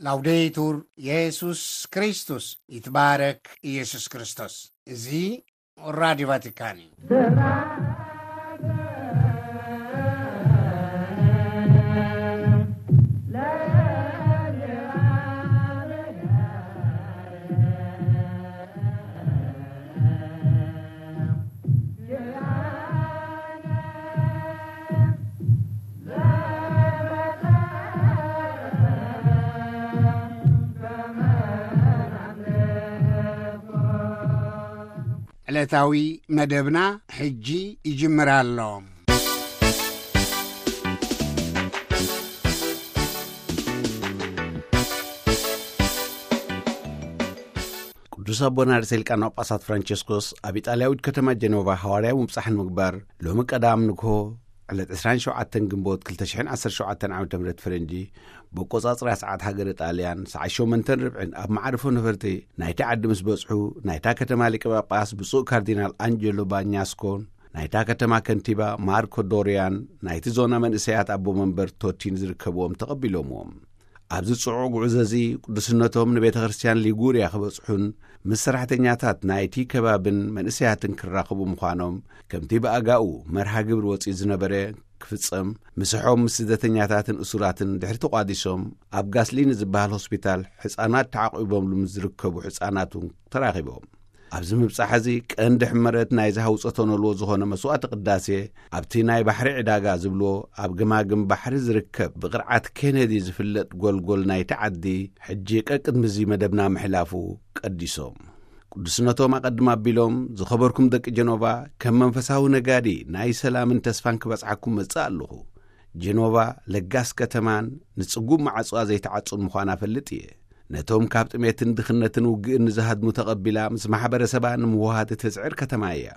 ላውዴቱር የሱስ ክርስቶስ፣ ይትባረክ ኢየሱስ ክርስቶስ። እዚ ራዲዮ ቫቲካን እዩ። ዕለታዊ መደብና ሕጂ ይጅምር ኣሎ። ቅዱስ ኣቦና ርእሰ ሊቃነ ጳጳሳት ፍራንቸስኮስ ኣብ ኢጣልያዊት ከተማ ጀኖቫ ሃዋርያዊ ምብጻሕ ንምግባር ሎሚ ቀዳም ንግሆ ዕለት ዕስራን ሸውዓተን ግንቦት ክልተ ሽሕን ዓሰርተ ሸውዓተን ዓመተ ምህረት ፈረንጂ ብኣቆጻጽራ ሰዓት ሃገረ ጣልያን ሰዓት ሸሞንተን ርብዕን ኣብ መዓርፎ ነፈርቲ ናይቲ ዓዲ ምስ በጽሑ፣ ናይታ ከተማ ሊቀ ጳጳስ ብፁዕ ካርዲናል ኣንጀሎ ባኛስኮን ናይታ ከተማ ከንቲባ ማርኮ ዶርያን ናይቲ ዞና መንእሰያት ኣቦ መንበር ቶቲን ዝርከብዎም ተቐቢሎምዎም። ኣብዚ ጽዑቕ ጉዕዞ እዚ ቅዱስነቶም ንቤተ ክርስቲያን ሊጉርያ ክበጽሑን ምስ ሰራሕተኛታት ናይቲ ከባብን መንእሰያትን ክራኸቡ ምዃኖም፣ ከምቲ ብኣጋኡ መርሃ ግብሪ ወጺኡ ዝነበረ ክፍጸም፣ ምስሖም ምስ ስደተኛታትን እሱራትን ድሕሪ ተቋዲሶም፣ ኣብ ጋስሊኒ ዝበሃል ሆስፒታል ሕጻናት ተዓቂቦምሉ ምስ ዝርከቡ ሕጻናት እውን ተራኺቦም። ኣብዚ ምብጻሕ እዚ ቀንዲ ሕመረት ናይዚ ሃውጾ ተነልዎ ዝኾነ መስዋዕቲ ቅዳሴ፣ ኣብቲ ናይ ባሕሪ ዕዳጋ ዝብልዎ ኣብ ገማግም ባሕሪ ዝርከብ ብቕርዓት ኬነዲ ዝፍለጥ ጎልጎል ናይቲ ዓዲ፣ ሕጂ ቀቅድሚ እዚ መደብና ምሕላፉ ቀዲሶም። ቅዱስነቶም ኣቐድም ኣቢሎም፣ "ዝኸበርኩም ደቂ ጀኖቫ፣ ከም መንፈሳዊ ነጋዲ ናይ ሰላምን ተስፋን ክበጽሓኩም መጽእ ኣለኹ። ጀኖቫ ለጋስ ከተማን ንጽጉም ማዕጾኣ ዘይትዓጹን ምዃና እፈልጥ እየ። ነቶም ካብ ጥሜትን ድኽነትን ውግእን ንዝሃድሙ ተቐቢላ ምስ ማሕበረሰባ ንምውሃድ እትጽዕር ከተማ እያ።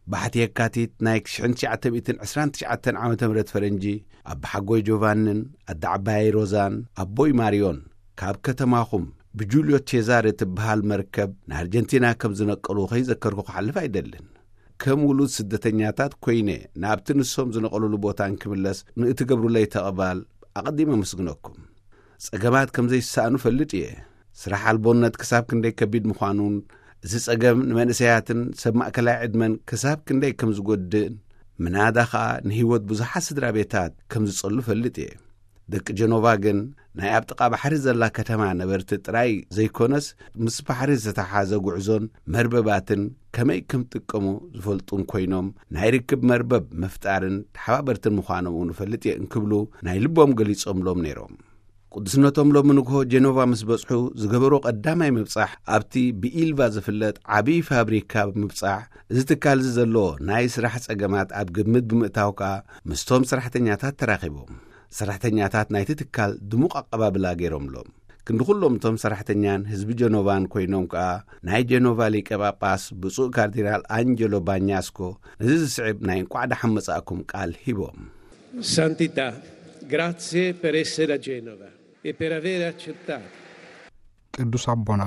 ባሕቲ የካቲት ናይ ሽሕን ትሽዓተ ሚእትን ዕስራን ትሽዓተን ዓመተ ምህረት ፈረንጂ፣ ኣቦሓጎይ ጆቫንን ኣደ ዓባየይ ሮዛን ኣቦይ ማሪዮን ካብ ከተማኹም ብጁልዮ ቼዛረ እትበሃል መርከብ ንኣርጀንቲና ከም ዝነቀሉ ከይዘከርኩ ክሓልፍ ኣይደልን። ከም ውሉድ ስደተኛታት ኮይነ ናብቲ ንሶም ዝነቐሉሉ ቦታ እንክምለስ ንእትገብሩለይ ተቐባል ኣቐዲመ ኣመስግነኩም። ጸገማት ከም ዘይሰኣኑ እፈልጥ እየ። ስራሕ ኣልቦነት ክሳብ ክንደይ ከቢድ ምዃኑን፣ እዚ ጸገም ንመንእሰያትን ሰብ ማእከላይ ዕድመን ክሳብ ክንደይ ከም ዝጎድእን፣ ምናዳ ኸኣ ንህይወት ብዙሓት ስድራ ቤታት ከም ዝጸሉ እፈልጥ እየ። ደቂ ጀኖቫ ግን ናይ ኣብ ጥቓ ባሕሪ ዘላ ከተማ ነበርቲ ጥራይ ዘይኮነስ፣ ምስ ባሕሪ ዝተሓሓዘ ጉዕዞን መርበባትን ከመይ ከም ጥቀሙ ዝፈልጡን ኮይኖም፣ ናይ ርክብ መርበብ ምፍጣርን ተሓባበርትን ምዃኖም እውን እፈልጥ እየ እንክብሉ ናይ ልቦም ገሊጾምሎም ነይሮም። ቅዱስነቶም ሎሚ ንግሆ ጀኖቫ ምስ በጽሑ ዝገበሮ ቀዳማይ ምብጻሕ ኣብቲ ብኢልቫ ዝፍለጥ ዓብዪ ፋብሪካ ብምብጻሕ፣ እዚ ትካል እዚ ዘለዎ ናይ ስራሕ ጸገማት ኣብ ግምት ብምእታው ከኣ ምስቶም ሰራሕተኛታት ተራኺቦም። ሰራሕተኛታት ናይቲ ትካል ድሙቕ ኣቐባብላ ገይሮምሎም። ክንዲ ኩሎም እቶም ሰራሕተኛን ህዝቢ ጀኖቫን ኮይኖም ከኣ ናይ ጀኖቫ ሊቀ ጳጳስ ብፁዕ ካርዲናል ኣንጀሎ ባኛስኮ ነዚ ዝስዕብ ናይ እንቋዕ ደሓን መጻእኩም ቃል ሂቦም። Santità, grazie per essere a Genova e per aver accettato. ቅዱስ ኣቦና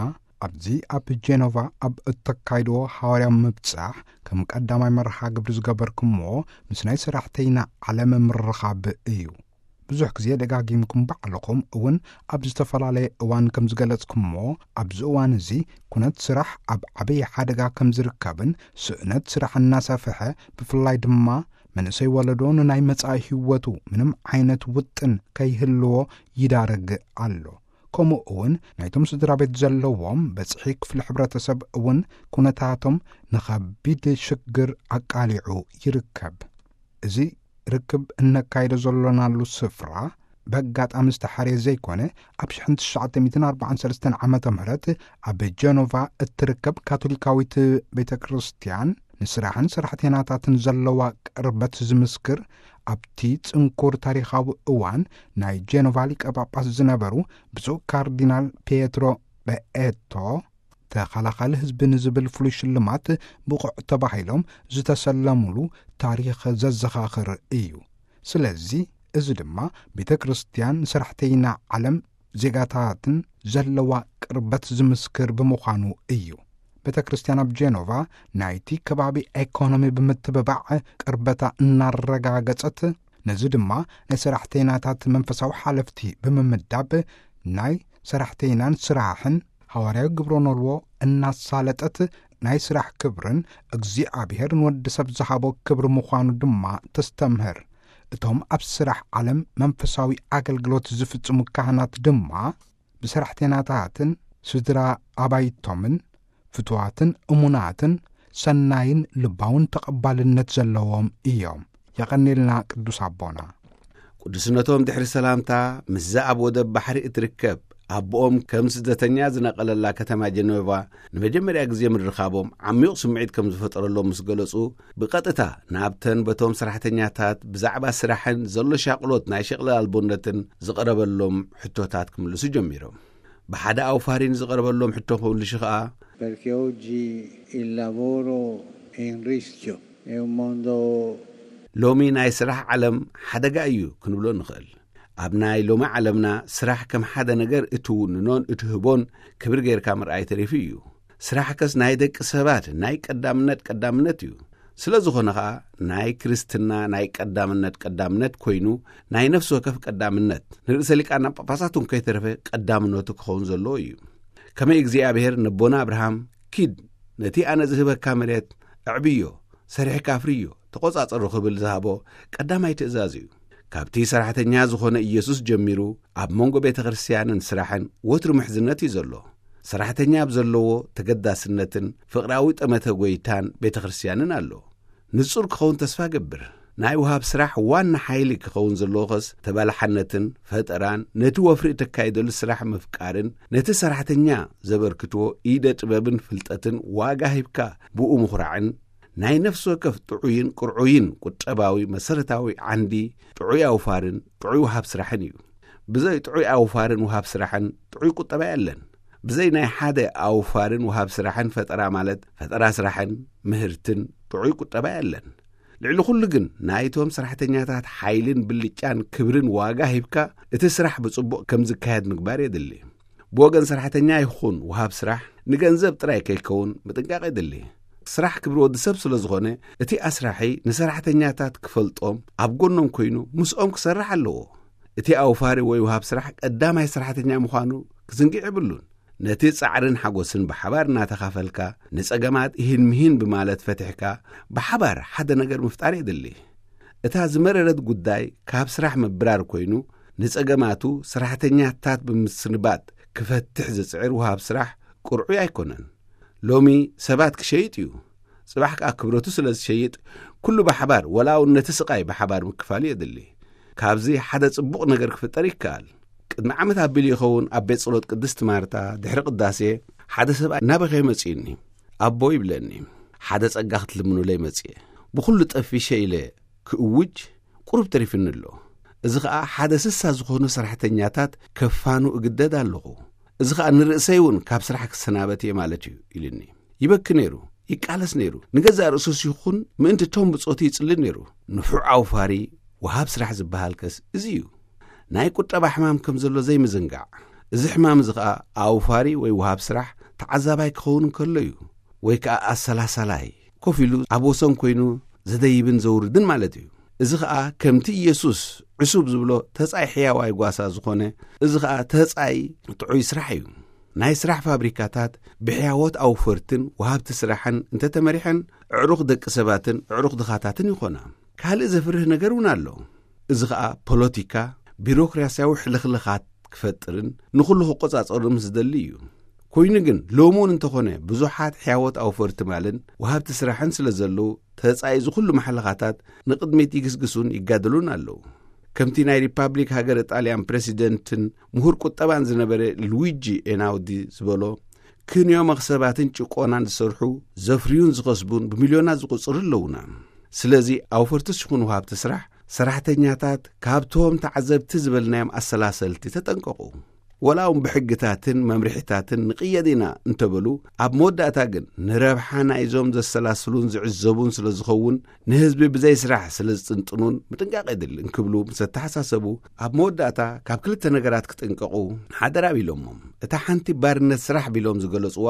ኣብዚ ኣብ ጀኖቫ ኣብ እተካይድዎ ሃዋርያዊ ምብጻሕ ከም ቀዳማይ መርሃ ግብሪ ዝገበርኩምዎ ምስ ናይ ሰራሕተይና ዓለም ምርኻብ እዩ። ብዙሕ ግዜ ደጋጊምኩም ባዕልኹም እውን ኣብ ዝተፈላለየ እዋን ከም ዝገለጽኩምዎ፣ ኣብዚ እዋን እዚ ኩነት ስራሕ ኣብ ዓብዪ ሓደጋ ከም ዝርከብን ስእነት ስራሕ እናሰፍሐ፣ ብፍላይ ድማ መንእሰይ ወለዶ ንናይ መጻኢ ህይወቱ ምንም ዓይነት ውጥን ከይህልዎ ይዳረግ ኣሎ። ከምኡ እውን ናይቶም ስድራ ቤት ዘለዎም በጽሒ ክፍሊ ሕብረተሰብ እውን ኩነታቶም ንኸቢድ ሽግር ኣቃሊዑ ይርከብ። እዚ ርክብ እነካይዶ ዘሎናሉ ስፍራ በጋጣሚ ዝተሓርየ ዘይኮነ፣ ኣብ ሽሕን ትሽዓተ ሚእትን ኣርባዓን ሰለስተን ዓመተ ምህረት ኣብ ጀኖቫ እትርከብ ካቶሊካዊት ቤተ ክርስቲያን ንስራሕን ሰራሕተኛታትን ዘለዋ ቅርበት ዝምስክር፣ ኣብቲ ጽንኩር ታሪኻዊ እዋን ናይ ጀኖቫ ሊቀ ጳጳስ ዝነበሩ ብፁዕ ካርዲናል ፒየትሮ በኤቶ ተኸላኻሊ ህዝቢ ንዝብል ፍሉይ ሽልማት ብቑዕ ተባሂሎም ዝተሰለሙሉ ታሪኽ ዘዘኻኽር እዩ። ስለዚ እዚ ድማ ቤተ ክርስቲያን ንሰራሕተይና ዓለም ዜጋታትን ዘለዋ ቅርበት ዝምስክር ብምዃኑ እዩ። ቤተ ክርስቲያን ኣብ ጄኖቫ ናይቲ ከባቢ ኤኮኖሚ ብምትብባዕ ቅርበታ እናረጋገጸት፣ ነዚ ድማ ናይ ሰራሕተይናታት መንፈሳዊ ሓለፍቲ ብምምዳብ ናይ ሰራሕተይናን ስራሕን ሃዋርያዊ ግብረ ኖልዎ እናሳለጠት፣ ናይ ስራሕ ክብርን እግዚኣብሔር ንወዲ ሰብ ዝሃቦ ክብሪ ምዃኑ ድማ ተስተምህር። እቶም ኣብ ስራሕ ዓለም መንፈሳዊ ኣገልግሎት ዝፍጽሙ ካህናት ድማ ብሰራሕተይናታትን ስድራ ኣባይቶምን ፍቱዋትን እሙናትን ሰናይን ልባውን ተቐባልነት ዘለዎም እዮም። የቐኔልና ቅዱስ ኣቦና። ቅዱስነቶም ድሕሪ ሰላምታ፣ ምስዛ ኣብ ወደብ ባሕሪ እትርከብ ኣቦኦም ከም ስደተኛ ዝነቐለላ ከተማ ጀነቫ ንመጀመርያ ግዜ ምርኻቦም ዓሚቕ ስምዒት ከም ዝፈጠረሎም ምስ ገለጹ፣ ብቐጥታ ናብተን በቶም ሰራሕተኛታት ብዛዕባ ስራሕን ዘሎ ሻቕሎት ናይ ሸቕለ ኣልቦነትን ዝቐረበሎም ሕቶታት ክምልሱ ጀሚሮም። ብሓደ ኣውፋሪ ንዝቐረበሎም ሕቶ ክምልሹ ኸኣ፣ Perché oggi il lavoro è in rischio, è un mondo ሎሚ ናይ ስራሕ ዓለም ሓደጋ እዩ ክንብሎ ንኽእል። ኣብ ናይ ሎሚ ዓለምና ስራሕ ከም ሓደ ነገር እትውንኖን እትህቦን ክብሪ ጌርካ ምርኣይ ተሪፉ እዩ። ስራሕከስ ናይ ደቂ ሰባት ናይ ቀዳምነት ቀዳምነት እዩ። ስለ ዝኾነ ኸኣ ናይ ክርስትና ናይ ቀዳምነት ቀዳምነት ኮይኑ ናይ ነፍሲ ወከፍ ቀዳምነት ንርእሰ ሊቃና ጳጳሳት እውን ከይተረፈ ቀዳምነቱ ክኸውን ዘለዎ እዩ። ከመይ እግዚኣብሔር ነቦና ኣብርሃም ኪድ ነቲ ኣነ ዝህበካ መሬት ኣዕብዮ፣ ሰሪሕካ ኣፍርዮ፣ ተቖጻጸሮ ክብል ዝሃቦ ቀዳማይ ትእዛዝ እዩ። ካብቲ ሰራሕተኛ ዝኾነ ኢየሱስ ጀሚሩ ኣብ መንጎ ቤተ ክርስቲያንን ስራሕን ወትሩ ምሕዝነት እዩ ዘሎ። ሰራሕተኛ ኣብ ዘለዎ ተገዳስነትን ፍቕራዊ ጠመተ ጎይታን ቤተ ክርስቲያንን ኣሎ። ንጹር ክኸውን ተስፋ ገብር። ናይ ውሃብ ስራሕ ዋና ሓይሊ ክኸውን ዘለዎ ኸስ ተባላሓነትን ፈጠራን ነቲ ወፍሪ እተካይደሉ ስራሕ ምፍቃርን ነቲ ሰራሕተኛ ዘበርክትዎ ኢደ ጥበብን ፍልጠትን ዋጋ ሂብካ ብኡ ምኹራዕን ናይ ነፍሲ ወከፍ ጥዑይን ቅርዑይን ቁጠባዊ መሰረታዊ ዓንዲ ጥዑይ ኣውፋርን ጥዑይ ውሃብ ስራሕን እዩ። ብዘይ ጥዑይ ኣውፋርን ውሃብ ስራሕን ጥዑይ ቁጠባ የለን። ብዘይ ናይ ሓደ ኣውፋርን ውሃብ ስራሕን ፈጠራ ማለት ፈጠራ ስራሕን ምህርትን ጥዑይ ቁጠባ የለን። ልዕሊ ኩሉ ግን ናይቶም ሰራሕተኛታት ሓይልን ብልጫን ክብርን ዋጋ ሂብካ እቲ ስራሕ ብጽቡቕ ከም ዝካየድ ምግባር የድሊ። ብወገን ሰራሕተኛ ይኹን ውሃብ ስራሕ ንገንዘብ ጥራይ ከይከውን ምጥንቃቕ የድሊ። ስራሕ ክብሪ ወዲ ሰብ ስለ ዝኾነ እቲ ኣስራሒ ንሰራሕተኛታት ክፈልጦም ኣብ ጎኖም ኮይኑ ምስኦም ክሰርሕ ኣለዎ። እቲ ኣውፋሪ ወይ ውሃብ ስራሕ ቀዳማይ ሰራሕተኛ ምዃኑ ክዝንግዕ የብሉን። ነቲ ጻዕርን ሓጎስን ብሓባር እናተኻፈልካ ንጸገማት ይህን ምሂን ብማለት ፈቲሕካ ብሓባር ሓደ ነገር ምፍጣር የድሊ። እታ ዝመረረት ጉዳይ ካብ ስራሕ ምብራር ኮይኑ ንጸገማቱ ሰራሕተኛታት ብምስንባት ክፈትሕ ዝጽዕር ውሃብ ስራሕ ቅርዑይ ኣይኮነን። ሎሚ ሰባት ክሸይጥ እዩ። ጽባሕ ከኣ ክብረቱ ስለ ዝሸይጥ ኩሉ ብሓባር ወላ እውን ነቲ ስቓይ ብሓባር ምክፋሉ የድሊ። ካብዚ ሓደ ጽቡቕ ነገር ክፍጠር ይከኣል። ቅድሚ ዓመት ኣቢሉ ይኸውን ኣብ ቤት ጸሎት ቅድስቲ ማርታ ድሕሪ ቅዳሴ ሓደ ሰብኣይ ናበኸ መጺኡኒ። ኣቦ ይብለኒ፣ ሓደ ጸጋ ክትልምኑለይ መጽየ። ብኹሉ ጠፊሸ ኢለ ክእውጅ ቁሩብ ተሪፍኒ ኣሎ። እዚ ኸኣ ሓደ ስሳ ዝኾኑ ሰራሕተኛታት ከፋኑ እግደድ ኣለኹ። እዚ ኸኣ ንርእሰይ እውን ካብ ስራሕ ክሰናበት እየ ማለት እዩ ኢሉኒ። ይበኪ ነይሩ፣ ይቃለስ ነይሩ። ንገዛእ ርእሱስ ይኹን ምእንቲ እቶም ብጾቱ ይጽሊ ነይሩ። ንፉዕ ኣውፋሪ ወሃብ ስራሕ ዝበሃልከስ እዚ እዩ። ናይ ቁጠባ ሕማም ከም ዘሎ ዘይምዝንጋዕ። እዚ ሕማም እዚ ኸኣ ኣውፋሪ ወይ ወሃብ ስራሕ ተዓዛባይ ክኸውን እንከሎ እዩ። ወይ ከኣ ኣሰላሳላይ፣ ኮፍ ኢሉ ኣብ ወሰን ኮይኑ ዘደይብን ዘውርድን ማለት እዩ። እዚ ኸኣ ከምቲ ኢየሱስ ዕሱብ ዝብሎ ተጻይ ሕያዋይ ጓሳ ዝኾነ፣ እዚ ኸኣ ተጻይ ጥዑይ ስራሕ እዩ። ናይ ስራሕ ፋብሪካታት ብሕያዎት ኣውፈርትን ወሃብቲ ስራሕን እንተተመሪሐን፣ ኣዕሩኽ ደቂ ሰባትን ኣዕሩኽ ድኻታትን ይኾና። ካልእ ዘፍርህ ነገር እውን ኣሎ። እዚ ኸኣ ፖለቲካ፣ ቢሮክራስያዊ ሕልኽልኻት ክፈጥርን ንኹሉ ክቆጻጸሩ ምስ ዝደሊ እዩ። ኮይኑ ግን ሎሚ እውን እንተኾነ ብዙሓት ሕያዎት ኣውፈርቲ ማልን ወሃብቲ ስራሕን ስለ ዘለዉ ተጻይ እዚ ኩሉ ማሕለኻታት ንቕድሚት ይግስግሱን ይጋደሉን ኣለዉ። ከምቲ ናይ ሪፓብሊክ ሃገረ ጣልያን ፕረሲደንትን ምሁር ቁጠባን ዝነበረ ሉዊጂ ኤናውዲ ዝበሎ፣ ክንዮ መኽሰባትን ጭቆናን ዝሰርሑ ዘፍርዩን ዝኸስቡን ብሚልዮናት ዝቑጽሩ ኣለዉና። ስለዚ ኣውፈርትስ ይኹኑ ወሃብቲ ስራሕ ሰራሕተኛታት ካብቶም ተዓዘብቲ ዝበልናዮም ኣሰላሰልቲ ተጠንቀቑ። ወላ እውን ብሕግታትን መምርሒታትን ንቕየድ ኢና እንተበሉ፣ ኣብ መወዳእታ ግን ንረብሓ ናይዞም ዘሰላስሉን ዝዕዘቡን ስለ ዝኸውን፣ ንህዝቢ ብዘይ ስራሕ ስለ ዝጥንጥኑን ምጥንቃቕ የድሊ እንክብሉ ምስ ኣተሓሳሰቡ፣ ኣብ መወዳእታ ካብ ክልተ ነገራት ክጥንቀቑ ሓደራ ቢሎሞም። እታ ሓንቲ ባርነት ስራሕ ቢሎም ዝገለጽዋ፣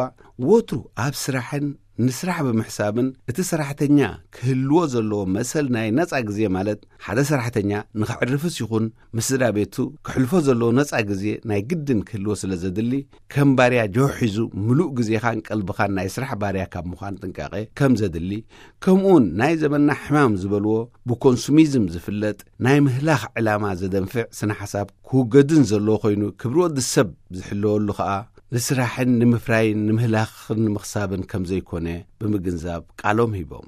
ወትሩ ኣብ ስራሕን ንስራሕ ብምሕሳብን እቲ ሰራሕተኛ ክህልዎ ዘለዎ መሰል ናይ ነጻ ግዜ፣ ማለት ሓደ ሰራሕተኛ ንኸዕርፍስ ይኹን ምስ ስድራ ቤቱ ክሕልፎ ዘለዎ ነጻ ግዜ ናይ ግድን ክህልዎ ስለ ዘድሊ፣ ከም ባርያ ጆህ ሒዙ ምሉእ ግዜኻን ቀልብኻን ናይ ስራሕ ባርያ ካብ ምዃን ጥንቃቄ ከም ዘድሊ፣ ከምኡውን ናይ ዘመንና ሕማም ዝበልዎ ብኮንሱሚዝም ዝፍለጥ ናይ ምህላኽ ዕላማ ዘደንፍዕ ስነ ሓሳብ ክውገድን ዘለዎ ኮይኑ፣ ክብሪ ወዲ ሰብ ዝሕለወሉ ኸኣ ንስራሕን ንምፍራይን ንምህላኽን ንምኽሳብን ከም ዘይኮነ ብምግንዛብ ቃሎም ሂቦም።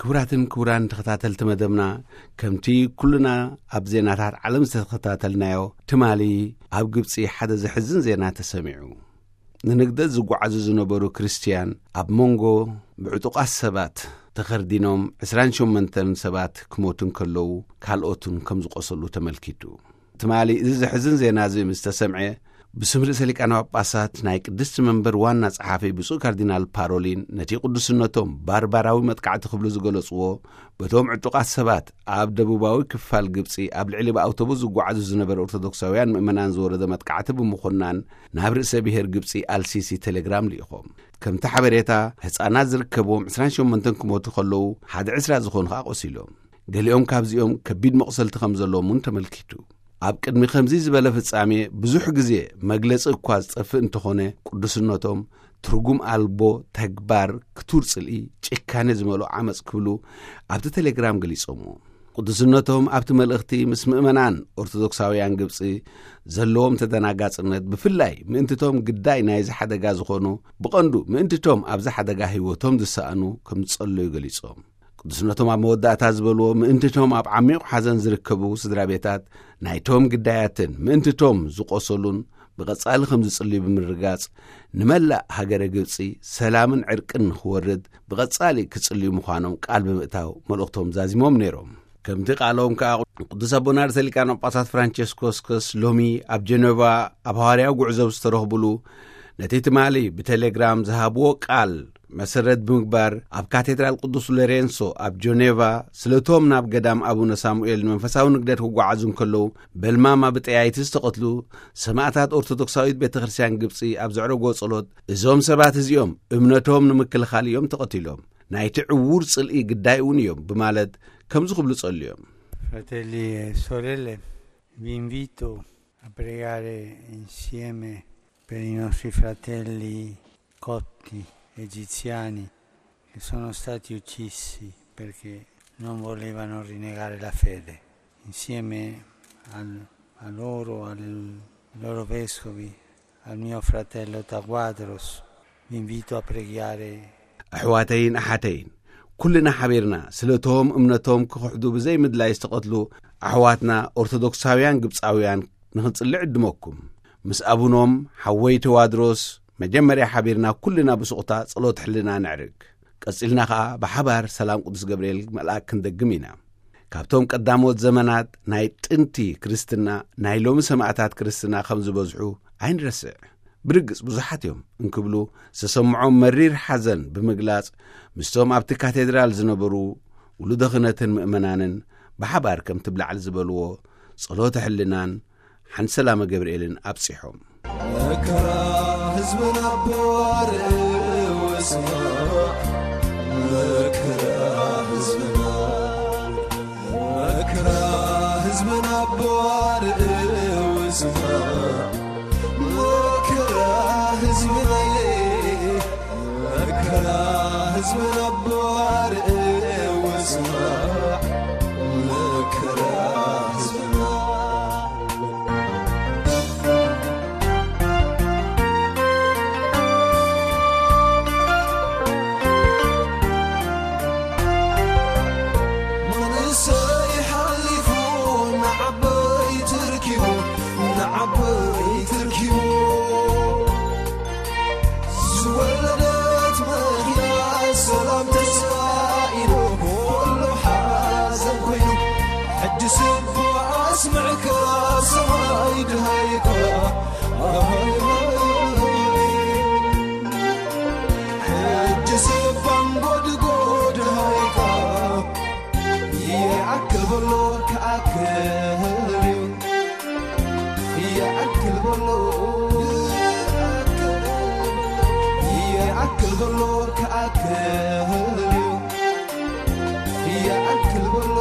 ክቡራትን ክቡራን ተኸታተልቲ መደብና፣ ከምቲ ኩልና ኣብ ዜናታት ዓለም ዝተኸታተልናዮ፣ ትማሊ ኣብ ግብጺ ሓደ ዘሕዝን ዜና ተሰሚዑ። ንንግደት ዝጓዓዙ ዝነበሩ ክርስትያን ኣብ መንጎ ብዕጡቓት ሰባት ተኸርዲኖም ዕስራን ሸሞንተን ሰባት ክሞቱ እንከለዉ፣ ካልኦትን ከም ዝቖሰሉ ተመልኪቱ። ትማሊ እዚ ዘሕዝን ዜና እዚ ምስ ተሰምዐ፣ ብስም ርእሰ ሊቃነ ጳጳሳት ናይ ቅድስቲ መንበር ዋና ጸሓፊ ብፁዕ ካርዲናል ፓሮሊን፣ ነቲ ቅዱስነቶም ባርባራዊ መጥቃዕቲ ክብሉ ዝገለጽዎ፣ በቶም ዕጡቓት ሰባት ኣብ ደቡባዊ ክፋል ግብጺ ኣብ ልዕሊ ብኣውቶቡስ ዝጓዓዙ ዝነበሩ ኦርቶዶክሳውያን ምእመናን ዝወረደ መጥቃዕቲ ብምኹናን፣ ናብ ርእሰ ብሔር ግብጺ ኣልሲሲ ቴሌግራም ልኢኾም። ከምቲ ሓበሬታ፣ ህጻናት ዝርከብዎም ዕስራን ሸሞንተን ክሞቱ ከለዉ፣ ሓደ ዕስራ ዝኾኑ ኸኣ ቆሲሎም። ገሊኦም ካብዚኦም ከቢድ መቑሰልቲ ከም ዘለዎም እውን ተመልኪቱ። ኣብ ቅድሚ ከምዚ ዝበለ ፍጻሜ ብዙሕ ግዜ መግለጺ እኳ ዝጠፍእ እንተኾነ፣ ቅዱስነቶም ትርጉም ኣልቦ ተግባር፣ ክቱር ጽልኢ፣ ጭካኔ ዝመልኦ ዓመጽ ክብሉ ኣብቲ ቴሌግራም ገሊጾምዎ። ቅዱስነቶም ኣብቲ መልእኽቲ ምስ ምእመናን ኦርቶዶክሳውያን ግብጺ ዘለዎም ተደናጋጽነት፣ ብፍላይ ምእንትቶም ግዳይ ናይዚ ሓደጋ ዝኾኑ፣ ብቐንዱ ምእንትቶም ኣብዚ ሓደጋ ህይወቶም ዝሰኣኑ ከም ዝጸለዩ ገሊጾም። ቅዱስነቶም ኣብ መወዳእታ ዝበልዎ፣ ምእንትቶም ኣብ ዓሚቕ ሓዘን ዝርከቡ ስድራ ቤታት ናይቶም ግዳያትን ምእንትቶም ዝቖሰሉን ብቐጻሊ ከም ዝጽልዩ ብምርጋጽ፣ ንመላእ ሃገረ ግብጺ ሰላምን ዕርቅን ንኽወርድ ብቐጻሊ ክጽልዩ ምዃኖም ቃል ብምእታው መልእኽቶም ዛዚሞም ነይሮም። ከምቲ ቃሎም ከኣ፣ ቅዱስ ኣቦና ርእሰ ሊቃነ ጳጳሳት ፍራንቸስኮስ ሎሚ ኣብ ጀነቫ ኣብ ሃዋርያዊ ጉዕዞ ዝተረኽቡሉ፣ ነቲ ትማሊ ብቴሌግራም ዝሃብዎ ቃል መሰረት ብምግባር፣ ኣብ ካቴድራል ቅዱስ ሎሬንሶ ኣብ ጀኔቫ ስለቶም ናብ ገዳም ኣቡነ ሳሙኤል ንመንፈሳዊ ንግደት ክጓዓዙ እንከለዉ፣ በልማማ ብጠያይቲ ዝተቐትሉ ሰማእታት ኦርቶዶክሳዊት ቤተ ክርስቲያን ግብጺ ኣብ ዘዕረጎ ጸሎት፣ እዞም ሰባት እዚኦም እምነቶም ንምክልኻል እዮም ተቐቲሎም፣ ናይቲ ዕዉር ጽልኢ ግዳይ እውን እዮም ብማለት ከምዚ ክብሉ ጸልዮም። Fratelli e sorelle, vi invito a pregare insieme per i nostri fratelli copti egiziani che sono stati uccisi perché non volevano rinnegare la fede. Insieme al- a loro, ai loro vescovi, al mio fratello Taguadros, vi invito a pregare. ኣሕዋተይን ኣሓተይን፣ ኩልና ሓቢርና ስለቶም እምነቶም ክኽሕዱ ብዘይ ምድላይ ዝተቐትሉ ኣሕዋትና ኦርቶዶክሳውያን ግብጻውያን ንኽንጽልእ ዕድመኩም። ምስ ኣቡኖም ሓወይ ተዋድሮስ መጀመርያ ሓቢርና ኩልና ብሱቕታ ጸሎት ሕልና ነዕርግ። ቀጺልና ኸኣ ብሓባር ሰላም ቅዱስ ገብርኤል መልኣክ ክንደግም ኢና። ካብቶም ቀዳሞት ዘመናት ናይ ጥንቲ ክርስትና ናይ ሎሚ ሰማእታት ክርስትና ከም ዝበዝሑ ኣይንረስዕ። ብርግጽ ብዙሓት እዮም እንክብሉ ዝተሰምዖም መሪር ሓዘን ብምግላጽ፣ ምስቶም ኣብቲ ካቴድራል ዝነበሩ ውሉደ ክህነትን ምእመናንን ብሓባር ከምቲ ብላዕሊ ዝበልዎ ጸሎተ ሕልናን ሓንቲ ሰላመ ገብርኤልን ኣብጺሖም። መከራ ህዝብና ብዋርእ ውስማ፣ መከራ ህዝብና፣ መከራ ህዝብና ብዋርእ ውስማ፣ መከራ ህዝብና፣ መከራ ህዝብና ብዋርእ ውስማ፣ መከራ ህዝብና። ይኣክል በሎ ክኣክል እዩ። ይኣክል በሎ።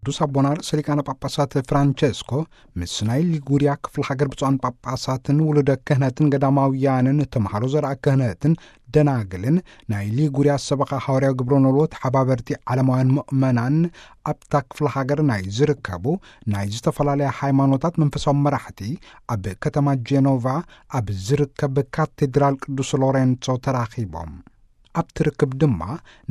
ቅዱስ ኣቦና ርእሰ ሊቃነ ጳጳሳት ፍራንቸስኮ ምስ ናይ ሊጉሪያ ክፍለ ሃገር ብፁዓን ጳጳሳትን ውሉደ ክህነትን ገዳማውያንን ተምሃሮ ዘርኣ ክህነትን ደናግልን ናይ ሊጉሪያ ሰበኻ ሃዋርያዊ ግብረ ኖልዎ ተሓባበርቲ ዓለማውያን ምእመናን ኣብታ ክፍለ ሃገር ናይ ዝርከቡ ናይ ዝተፈላለያ ሃይማኖታት መንፈሳዊ መራሕቲ ኣብ ከተማ ጄኖቫ ኣብ ዝርከብ ካቴድራል ቅዱስ ሎሬንጾ ተራኺቦም። ኣብቲ ርክብ ድማ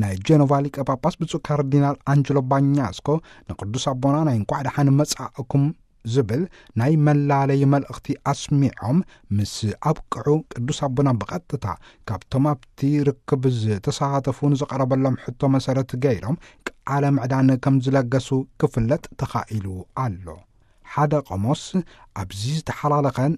ናይ ጀኖቫ ሊቀ ጳጳስ ብፁዕ ካርዲናል ኣንጀሎ ባኛስኮ ንቅዱስ ኣቦና ናይ እንኳዕ ደሓን መጻእኩም ዝብል ናይ መላለይ መልእኽቲ ኣስሚዖም ምስ ኣብቅዑ፣ ቅዱስ ኣቦና ብቐጥታ ካብቶም ኣብቲ ርክብ ዝተሳተፉ ንዝቐረበሎም ሕቶ መሰረት ገይሮም ቃለ ምዕዳን ከም ዝለገሱ ክፍለጥ ተኻኢሉ ኣሎ። ሓደ ቆሞስ ኣብዚ ዝተሓላለኸን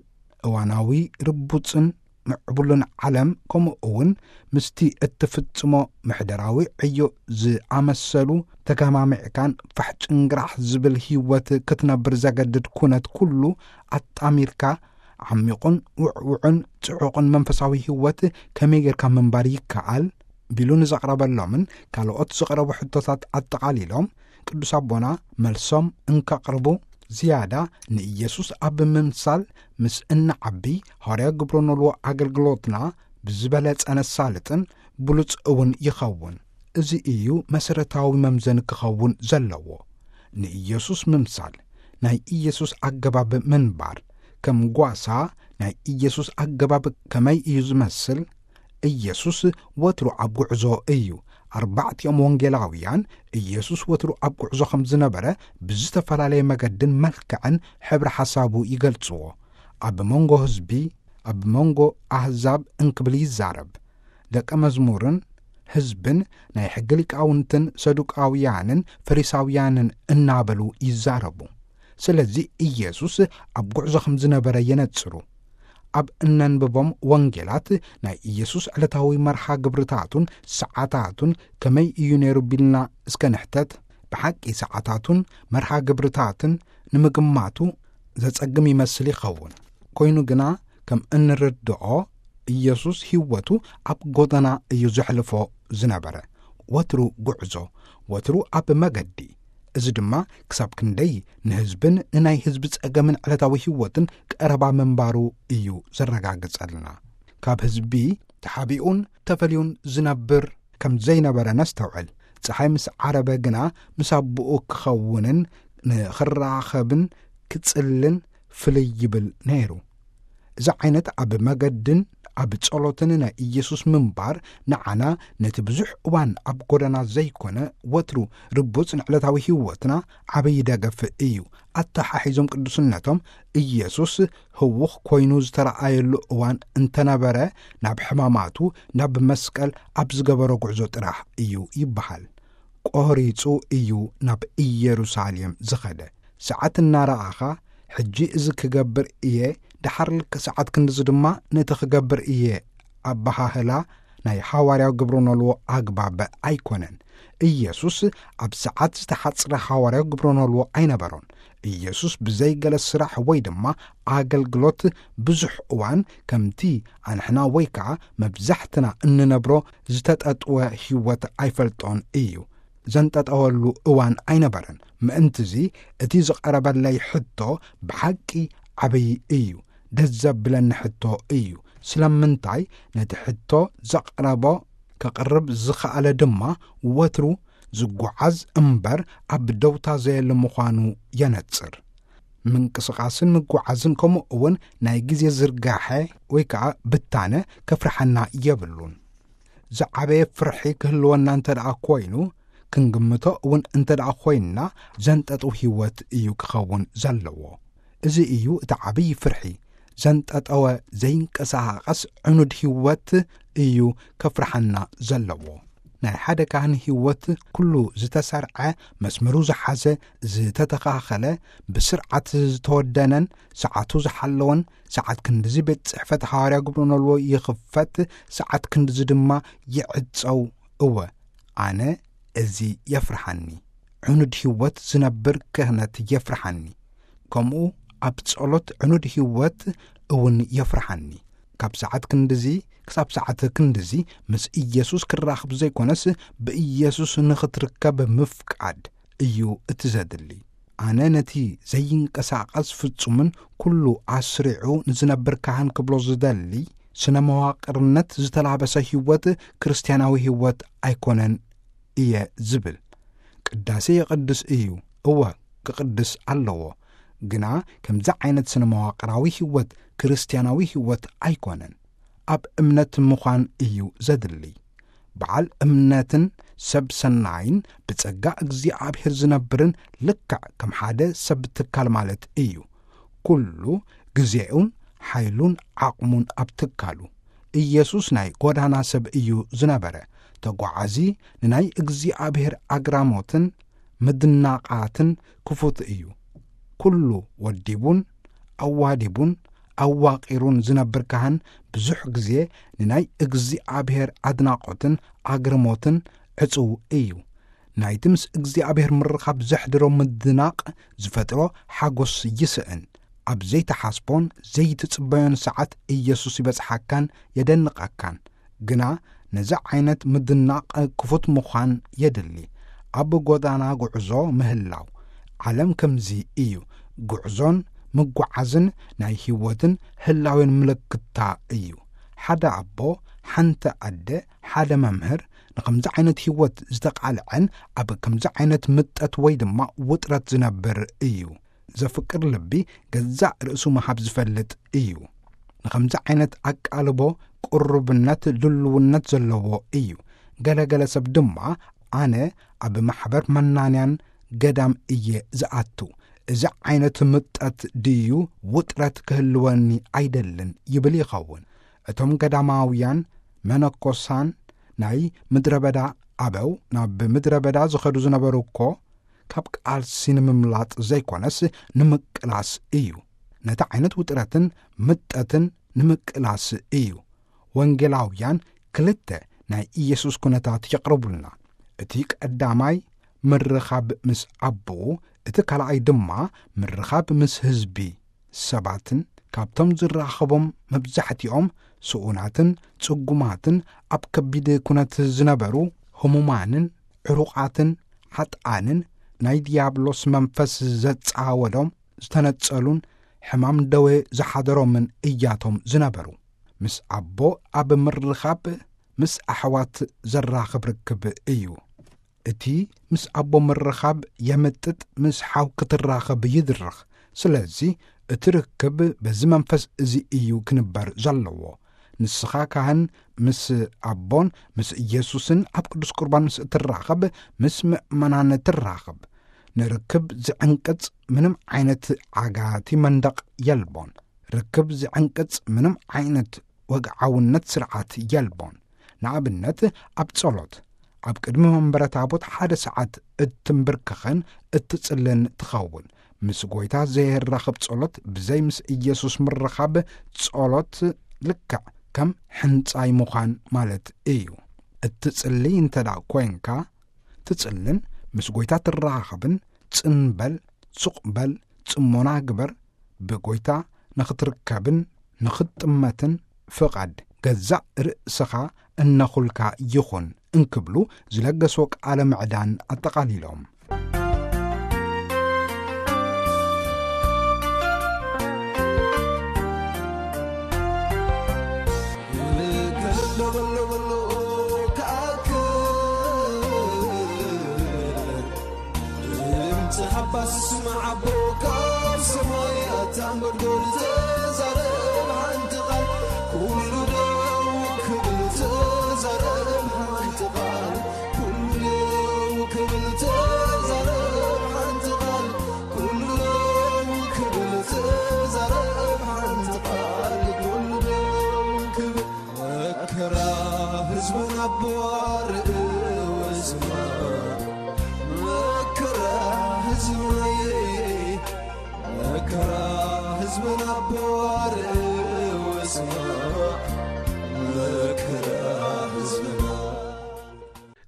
እዋናዊ ርቡጽን ምዕቡልን ዓለም፣ ከምኡ እውን ምስቲ እትፍጽሞ ምሕደራዊ ዕዮ ዝኣመሰሉ ተገማሚዕካን ፋሕ ጭንግራሕ ዝብል ህይወት ክትነብር ዘገድድ ኩነት ኩሉ ኣጣሚርካ፣ ዓሚቑን ውዕውዕን ጽዑቕን መንፈሳዊ ህይወት ከመይ ጌርካ ምንባር ይከኣል? ቢሉ ንዘቕረበሎምን ካልኦት ዝቐረቡ ሕቶታት ኣጠቓሊሎም፣ ቅዱስ ኣቦና መልሶም እንከቕርቡ፣ ዝያዳ ንኢየሱስ ኣብ ምምሳል ምስ እንዓቢ፣ ሃዋርያዊ ግብረ ኖልዎ ኣገልግሎትና ብዝበለጸ ነሳልጥን ብሉጽ እውን ይኸውን። እዚ እዩ መሰረታዊ መምዘኒ ክኸውን ዘለዎ። ንኢየሱስ ምምሳል፣ ናይ ኢየሱስ ኣገባብ ምንባር፣ ከም ጓሳ ናይ ኢየሱስ ኣገባብ ከመይ እዩ ዝመስል? ኢየሱስ ወትሩ ኣብ ጉዕዞ እዩ። ኣርባዕቲኦም ወንጌላውያን ኢየሱስ ወትሩ ኣብ ጉዕዞ ከም ዝነበረ ብዝተፈላለየ መገድን መልክዕን ሕብሪ ሓሳቡ ይገልጽዎ። ኣብ መንጎ ህዝቢ፣ ኣብ መንጎ ኣህዛብ እንክብል ይዛረብ። ደቀ መዝሙርን ህዝብን ናይ ሕጊ ሊቃውንትን ሰዱቃውያንን ፈሪሳውያንን እናበሉ ይዛረቡ። ስለዚ ኢየሱስ ኣብ ጉዕዞ ከም ዝነበረ የነጽሩ። ኣብ እነንብቦም ወንጌላት ናይ ኢየሱስ ዕለታዊ መርሃ ግብርታቱን ሰዓታቱን ከመይ እዩ ነይሩ ቢልና እስከ ንሕተት። ብሓቂ ሰዓታቱን መርሃ ግብርታትን ንምግማቱ ዘጸግም ይመስል ይኸውን። ኮይኑ ግና ከም እንርድኦ ኢየሱስ ህይወቱ ኣብ ጎደና እዩ ዘሕልፎ ዝነበረ። ወትሩ ጉዕዞ፣ ወትሩ ኣብ መገዲ። እዚ ድማ ክሳብ ክንደይ ንህዝብን ንናይ ህዝቢ ጸገምን ዕለታዊ ህይወትን ቀረባ ምንባሩ እዩ ዘረጋግጸልና። ካብ ህዝቢ ተሓቢኡን ተፈልዩን ዝነብር ከም ዘይነበረ ነስተውዕል። ጸሓይ ምስ ዓረበ ግና ምስ ኣቦኡ ክኸውንን ንኽራኸብን ክጽልን ፍልይ ይብል ነይሩ። እዚ ዓይነት ኣብ መገድን ኣብ ጸሎትን ናይ ኢየሱስ ምንባር ንዓና ነቲ ብዙሕ እዋን ኣብ ጎደና ዘይኮነ ወትሩ ርቡጽ ንዕለታዊ ህይወትና ዓብዪ ደገፍ እዩ። ኣተሓሒዞም ቅዱስነቶም ኢየሱስ ህውኽ ኮይኑ ዝተረኣየሉ እዋን እንተነበረ፣ ናብ ሕማማቱ ናብ መስቀል ኣብ ዝገበሮ ጉዕዞ ጥራሕ እዩ ይበሃል። ቆሪጹ እዩ ናብ ኢየሩሳሌም ዝኸደ። ሰዓት እናረኣኻ፣ ሕጂ እዚ ክገብር እየ፣ ደሓር ልክዕ ሰዓት ክንድዚ ድማ ነቲ ክገብር እየ ኣበሃህላ ናይ ሃዋርያዊ ግብረ ኖልዎ ኣግባብ ኣይኮነን። ኢየሱስ ኣብ ሰዓት ዝተሓጽረ ሃዋርያዊ ግብረ ኖልዎ ኣይነበሮን። ኢየሱስ ብዘይ ገለ ስራሕ ወይ ድማ ኣገልግሎት ብዙሕ እዋን ከምቲ ኣንሕና ወይ ከኣ መብዛሕትና እንነብሮ ዝተጠጥወ ህይወት ኣይፈልጦን እዩ። ዘንጠጠወሉ እዋን ኣይነበረን። ምእንትዚ እቲ ዝቐረበለይ ሕቶ ብሓቂ ዓብዪ እዩ። ደስ ዘብለኒ ሕቶ እዩ። ስለምንታይ ነቲ ሕቶ ዘቕረቦ ከቕርብ ዝኸኣለ ድማ ወትሩ ዝጓዓዝ እምበር ኣብ ደውታ ዘየለ ምዃኑ የነጽር። ምንቅስቓስን ምጉዓዝን ከምኡ እውን ናይ ግዜ ዝርጋሐ ወይ ከኣ ብታነ ከፍርሓና የብሉን። ዝዓበየ ፍርሒ ክህልወና እንተ ደኣ ኮይኑ፣ ክንግምቶ እውን እንተ ደኣ ኮይንና፣ ዘንጠጥው ህይወት እዩ ክኸውን ዘለዎ። እዚ እዩ እቲ ዓብዪ ፍርሒ። ዘንጠጠወ ዘይንቀሳቐስ ዕኑድ ህይወት እዩ ከፍርሓና ዘለዎ። ናይ ሓደ ካህን ህይወት ኩሉ ዝተሰርዐ፣ መስመሩ ዝሓዘ፣ ዝተተኻኸለ፣ ብስርዓት ዝተወደነን ሰዓቱ ዝሓለወን፣ ሰዓት ክንድዚ ቤት ጽሕፈት ሃዋርያ ግብረ ኖልዎ ይኽፈት፣ ሰዓት ክንድዚ ድማ ይዕጸው። እወ፣ ኣነ እዚ የፍርሓኒ። ዕኑድ ህይወት ዝነብር ክህነት የፍርሓኒ። ከምኡ ኣብ ጸሎት ዕኑድ ህይወት እውን የፍርሓኒ። ካብ ሰዓት ክንድዚ ክሳብ ሰዓት ክንድዚ ምስ ኢየሱስ ክራኽብ ዘይኮነስ፣ ብኢየሱስ ንኽትርከብ ምፍቃድ እዩ እቲ ዘድሊ። ኣነ ነቲ ዘይንቀሳቐስ ፍጹምን ኩሉ ኣስሪዑ ንዝነብር ካህን ክብሎ ዝደሊ፣ ስነ መዋቕርነት ዝተላበሰ ህይወት ክርስትያናዊ ህይወት ኣይኮነን እየ ዝብል። ቅዳሴ የቕድስ እዩ፣ እወ፣ ክቕድስ ኣለዎ። ግና ከምዚ ዓይነት ስነ መዋቕራዊ ህይወት ክርስትያናዊ ህይወት ኣይኮነን። ኣብ እምነት ምዃን እዩ ዘድሊ። በዓል እምነትን ሰብ ሰናይን ብጸጋ እግዚኣብሔር ዝነብርን ልክዕ ከም ሓደ ሰብ ትካል ማለት እዩ። ኩሉ ግዜኡን ሓይሉን ዓቕሙን ኣብ ትካሉ። ኢየሱስ ናይ ጎዳና ሰብ እዩ ዝነበረ። ተጓዓዚ ንናይ እግዚኣብሔር ኣግራሞትን ምድናቓትን ክፉት እዩ። ኩሉ ወዲቡን ኣዋዲቡን ኣዋቒሩን ዝነብር ካህን ብዙሕ ግዜ ንናይ እግዚኣብሔር ኣድናቖትን ኣግርሞትን ዕጹው እዩ። ናይቲ ምስ እግዚኣብሔር ምርኻብ ዘሕድሮ ምድናቕ ዝፈጥሮ ሓጎስ ይስእን። ኣብ ዘይትሓስቦን ዘይትጽበዮን ሰዓት ኢየሱስ ይበጽሓካን የደንቐካን። ግና ነዚ ዓይነት ምድናቕ ክፉት ምዃን የድሊ። ኣብ ጎዳና ጉዕዞ ምህላው። ዓለም ከምዚ እዩ። ጉዕዞን ምጉዓዝን ናይ ህይወትን ህላዌን ምልክታ እዩ። ሓደ ኣቦ፣ ሓንቲ ኣደ፣ ሓደ መምህር ንኸምዚ ዓይነት ህይወት ዝተቓልዐን ኣብ ከምዚ ዓይነት ምጠት ወይ ድማ ውጥረት ዝነብር እዩ። ዘፍቅር ልቢ ገዛእ ርእሱ ምሃብ ዝፈልጥ እዩ። ንኸምዚ ዓይነት ኣቃልቦ ቅሩብነት ድልውነት ዘለዎ እዩ። ገለገለ ሰብ ድማ፣ ኣነ ኣብ ማሕበር መናንያን ገዳም እየ ዝኣቱ። እዚ ዓይነት ምጠት ድዩ ውጥረት ክህልወኒ ኣይደልን ይብል ይኸውን። እቶም ገዳማውያን መነኮሳን ናይ ምድረ በዳ ኣበው ናብ ምድረ በዳ ዝኸዱ ዝነበሩ እኮ ካብ ቃልሲ ንምምላጥ ዘይኮነስ ንምቅላስ እዩ። ነቲ ዓይነት ውጥረትን ምጠትን ንምቅላስ እዩ። ወንጌላውያን ክልተ ናይ ኢየሱስ ኩነታት የቕርቡልና። እቲ ቀዳማይ ምርኻብ ምስ ኣቦኡ፣ እቲ ካልኣይ ድማ ምርኻብ ምስ ህዝቢ ሰባትን። ካብቶም ዝራኸቦም መብዛሕትኦም ስኡናትን ጽጉማትን ኣብ ከቢድ ኩነት ዝነበሩ ህሙማንን ዕሩቓትን ሓጥኣንን ናይ ዲያብሎስ መንፈስ ዘጻወዶም ዝተነጸሉን ሕማም ደዌ ዝሓደሮምን እያቶም ዝነበሩ። ምስ ኣቦ ኣብ ምርኻብ ምስ ኣሕዋት ዘራኽብ ርክብ እዩ። እቲ ምስ ኣቦ ምርኻብ የምጥጥ፣ ምስ ሓው ክትራኸብ ይድርኽ። ስለዚ እቲ ርክብ በዚ መንፈስ እዚ እዩ ክንበር ዘለዎ። ንስኻ ካህን ምስ ኣቦን ምስ ኢየሱስን ኣብ ቅዱስ ቁርባን ምስ እትራኸብ ምስ ምእመናን ትራኸብ። ንርክብ ዝዕንቅጽ ምንም ዓይነት ዓጋቲ መንደቕ የልቦን። ርክብ ዝዕንቅጽ ምንም ዓይነት ወግዓውነት ስርዓት የልቦን። ንኣብነት ኣብ ጸሎት ኣብ ቅድሚ መንበረ ታቦት ሓደ ሰዓት እትንብርክኽን እትጽልን ትኸውን። ምስ ጐይታ ዘይራኽብ ጸሎት ብዘይ ምስ ኢየሱስ ምርኻብ ጸሎት ልክዕ ከም ሕንጻይ ምዃን ማለት እዩ። እትጽሊ እንተ ደኣ ኮይንካ ትጽልን ምስ ጐይታ ትረኻኸብን ጽን በል፣ ሱቕ በል፣ ጽሞና ግበር፣ ብጐይታ ንኽትርከብን ንኽትጥመትን ፍቓድ ገዛእ ርእስኻ እነኹልካ ይኹን እንክብሉ ዝለገስዎ ቃለ ምዕዳን ኣጠቓሊሎም።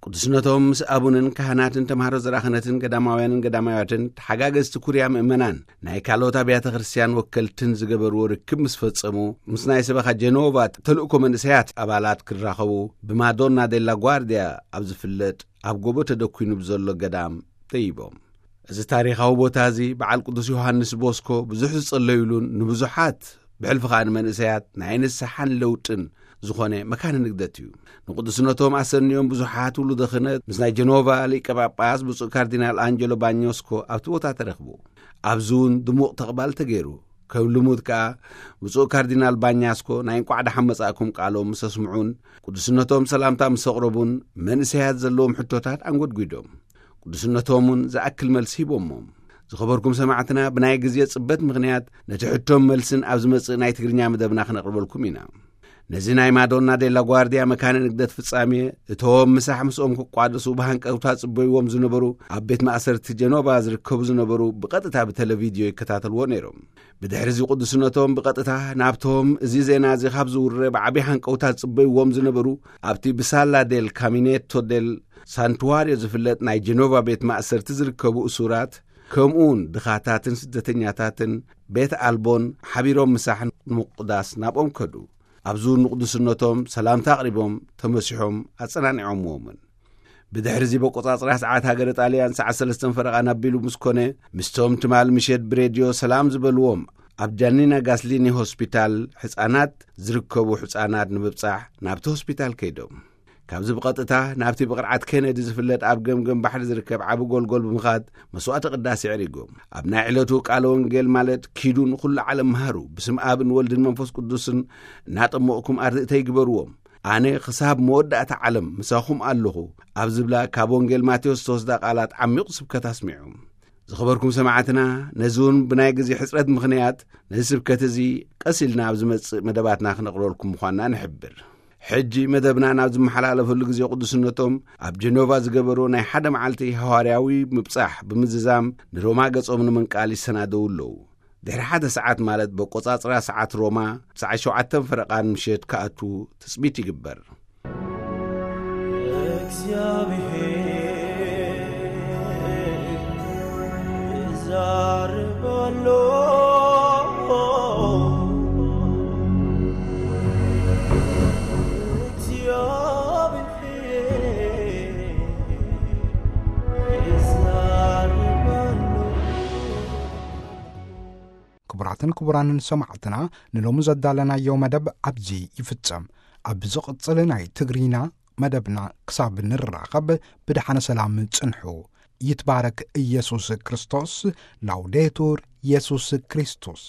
ቅዱስነቶም ምስ ኣቡንን ካህናትን ተምሃሮ ዘራኽነትን ገዳማውያንን ገዳማውያትን ተሓጋገዝቲ ኩርያ ምእመናን ናይ ካልኦት ኣብያተ ክርስቲያን ወከልትን ዝገበርዎ ርክብ ምስ ፈጸሙ፣ ምስ ናይ ሰበኻ ጀኖቫ ተልእኮ መንእሰያት ኣባላት ክራኸቡ ብማዶና ዴላ ጓርዲያ ኣብ ዝፍለጥ ኣብ ጎቦ ተደኲኑ ብዘሎ ገዳም ደይቦም። እዚ ታሪኻዊ ቦታ እዚ በዓል ቅዱስ ዮሃንስ ቦስኮ ብዙሕ ዝጸለዩሉን ንብዙሓት ብሕልፊ ኸኣ ንመንእሰያት ናይ ንስሓን ለውጥን ዝኾነ መካነ ንግደት እዩ። ንቅዱስነቶም ኣሰንዮም ብዙሓት ውሉደ ክህነት ምስ ናይ ጀኖቫ ሊቀ ጳጳስ ብፁዕ ካርዲናል ኣንጀሎ ባኞስኮ ኣብቲ ቦታ ተረኽቡ። ኣብዚ እውን ድሙቕ ተቕባል ተገይሩ። ከም ልሙድ ከኣ ብፁዕ ካርዲናል ባኛስኮ ናይ እንቋዕ ደሓን መጻእኩም ቃሎም ምስ ኣስምዑን ቅዱስነቶም ሰላምታ ምስ ኣቕረቡን መንእሰያት ዘለዎም ሕቶታት ኣንጎድጒዶም። ቅዱስነቶም እውን ዝኣክል መልሲ ሂቦሞም። ዝኸበርኩም ሰማዕትና፣ ብናይ ግዜ ጽበት ምኽንያት ነቲ ሕቶን መልስን ኣብ ዝመጽእ ናይ ትግርኛ መደብና ክነቕርበልኩም ኢና። ነዚ ናይ ማዶና ዴላ ጓርዲያ መካነ ንግደት ፍጻሜ እቶም ምሳሕ ምስኦም ክቋደሱ ብሃንቀውታ ጽበይዎም ዝነበሩ ኣብ ቤት ማእሰርቲ ጀኖቫ ዝርከቡ ዝነበሩ ብቐጥታ ብቴሌቪድዮ ይከታተልዎ ነይሮም። ብድሕሪ እዚ ቅዱስነቶም ብቐጥታ ናብቶም እዚ ዜና እዚ ካብ ዝውረ ብዓቢ ሃንቀውታ ጽበይዎም ዝነበሩ ኣብቲ ብሳላ ዴል ካሚኔቶ ዴል ሳንቱዋርዮ ዝፍለጥ ናይ ጀኖቫ ቤት ማእሰርቲ ዝርከቡ እሱራት፣ ከምኡውን ድኻታትን ስደተኛታትን ቤት ኣልቦን ሓቢሮም ምሳሕ ንምቁዳስ ናብኦም ከዱ። ኣብዚ ንቅዱስነቶም ሰላምታ ኣቕሪቦም ተመሲሖም ኣጸናኒዖምዎምን። ብድሕሪ እዚ በቆጻጽራ ሰዓት ሃገረ ጣልያን ሰዓት ሰለስተን ፈረቓ ናቢሉ ምስ ኮነ፣ ምስቶም ትማል ምሸት ብሬድዮ ሰላም ዝበልዎም ኣብ ጃኒና ጋስሊኒ ሆስፒታል ሕጻናት ዝርከቡ ሕጻናት ንምብጻሕ ናብቲ ሆስፒታል ከይዶም። ካብዚ ብቐጥታ ናብቲ ብቕርዓት ኬነዲ ዝፍለጥ ኣብ ገምገም ባሕሪ ዝርከብ ዓቢ ጎልጎል ብምኻድ መስዋዕተ ቅዳሴ ኣዕሪጎም። ኣብ ናይ ዕለቱ ቃለ ወንጌል ማለት ኪዱ ንኹሉ ዓለም መሃሩ፣ ብስም ኣብን ወልድን መንፈስ ቅዱስን እናጠመቕኩም ኣርድእተይ ግበርዎም፣ ኣነ ክሳብ መወዳእታ ዓለም ምሳኹም ኣለኹ ኣብ ዝብላ ካብ ወንጌል ማቴዎስ ዝተወስዳ ቃላት ዓሚቑ ስብከት ኣስሚዑ። ዝኸበርኩም ሰማዕትና፣ ነዚ እውን ብናይ ግዜ ሕጽረት ምኽንያት ነዚ ስብከት እዚ ቀስ ኢልና ኣብ ዝመጽእ መደባትና ክነቕርበልኩም ምዃንና ንሕብር። ሕጂ መደብና ናብ ዝመሓላለፈሉ ግዜ ቅዱስነቶም ኣብ ጀኖቫ ዝገበርዎ ናይ ሓደ መዓልቲ ሃዋርያዊ ምብጻሕ ብምዝዛም ንሮማ ገጾም ንምንቃል ይሰናደዉ ኣለዉ። ድሕሪ ሓደ ሰዓት ማለት በቆጻጽራ ሰዓት ሮማ ሰዓት ሸውዓተ ፈረቓን ምሸት ክኣቱ ትጽቢት ይግበር። እግዚኣብሔር ይዛረብ ኣሎ። እግዚኣብሔር ይዛረብ ኣሎ። ክቡራትን ክቡራንን ሰማዕትና፣ ንሎሚ ዘዳለናዮ መደብ ኣብዚ ይፍጸም። ኣብ ዝቕጽል ናይ ትግርኛ መደብና ክሳብ ንራኸብ ብደሓነ ሰላም ጽንሑ። ይትባረክ ኢየሱስ ክርስቶስ። ላውዴቱር ኢየሱስ ክርስቶስ።